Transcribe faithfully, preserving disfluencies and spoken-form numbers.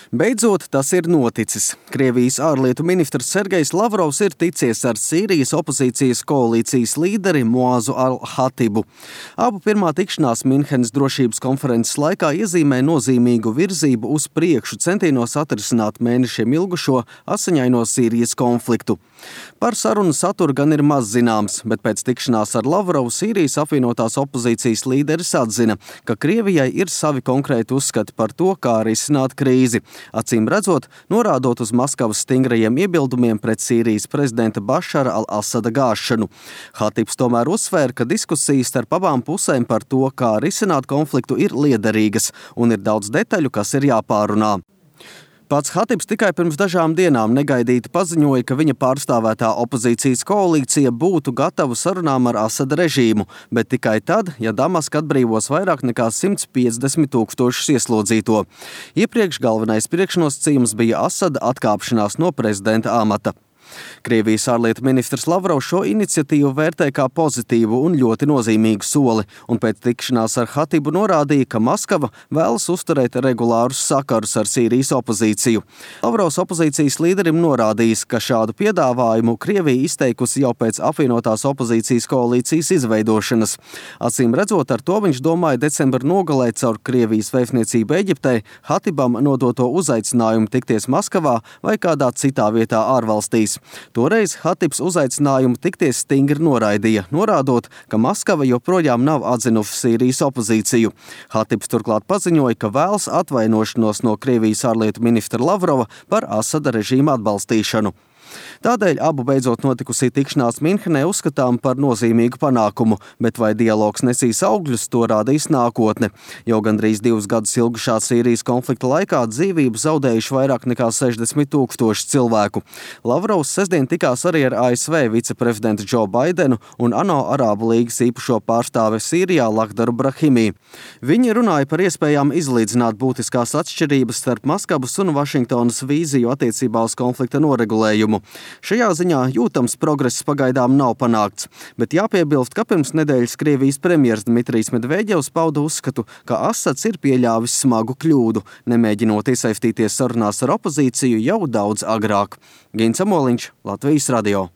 Beidzot, tas ir noticis. Krievijas ārlietu ministrs Sergejs Lavrovs ir ticies ar Sīrijas opozīcijas koalīcijas līderi Muazu al-Hatibu. Abu pirmā tikšanās Minhenes drošības konferences laikā iezīmē nozīmīgu virzību uz priekšu centienos atrisināt mēnešiem ilgušo asiņaino Sīrijas konfliktu. Par sarunu saturu gan ir maz zināms, bet pēc tikšanās ar Lavrovu Sīrijas apvienotās opozīcijas līderis atzina, ka Krievijai ir savi konkrēti uzskati par to, kā risināt krīzi. Acīm redzot, norādot uz Maskavas stingrajiem iebildumiem pret Sīrijas prezidenta Bašara al-Asada gāšanu. Hatibs tomēr uzsvēra, ka diskusijas starp abām pusēm par to, kā risināt konfliktu, ir liederīgas un ir daudz detaļu, kas ir jāpārunā. Pats Hatibs tikai pirms dažām dienām negaidīti paziņoja, ka viņa pārstāvētā opozīcijas koalīcija būtu gatava sarunām ar Asada režīmu, bet tikai tad, ja Damaska atbrīvos vairāk nekā simt piecdesmit tūkstošus ieslodzīto. Iepriekš galvenais priekšnosacījums bija Asada atkāpšanās no prezidenta amata. Krievijas ārlietu ministrs Lavrovs šo iniciatīvu vērtē kā pozitīvu un ļoti nozīmīgu soli, un pēc tikšanās ar Hatibu norādīja, ka Maskava vēlas uzturēt regulārus sakarus ar Sīrijas opozīciju. Lavrovs opozīcijas līderim norādījis, ka šādu piedāvājumu Krievija izteikusi jau pēc apvienotās opozīcijas koalīcijas izveidošanas. Acīm redzot, ar to viņš domāja decembra nogalē caur Krievijas vēstniecību Eģiptei Hatibam nodoto uzaicinājumu tikties Maskavā vai kādā citā vietā ārvalstīs. Toreiz Hatibs uzaicinājumu tikties stingri noraidīja, norādot, ka Maskava joprojām nav atzinusi Sīrijas opozīciju. Hatibs turklāt paziņoja, ka vēlas atvainošanos no Krievijas ārlietu ministra Lavrova par Asada režīma atbalstīšanu. Tādēļ abu beidzot notikusī tikšanās Minhenē uzskatām par nozīmīgu panākumu, bet vai dialogs nesīs augļus, to rādīs nākotne. Jau gandrīz divus gadus ilgušā Sīrijas konflikta laikā dzīvību zaudējuši vairāk nekā sešdesmit tūkstoši cilvēku. Lavrovs sestdien tikās arī ar A S V viceprezidentu Džo Baidenu un ANO Arābu līgas īpašo pārstāvi Sīrijā Lakdaru Brahimī. Viņi runāja par iespējām izlīdzināt būtiskās atšķirības starp Maskavas un Vašingtonas vīziju attiecībā uz konflikta noregulējumu. Šajā ziņā jūtams progress pagaidām nav panākts, bet jāpiebilst, ka pirms nedēļas Krievijas premjers Dmitrijs Medveģevs pauda uzskatu, ka Asads ir pieļāvis smagu kļūdu, nemēģinot iesaistīties sarunās ar opozīciju jau daudz agrāk. Gins Amoliņš, Latvijas radio.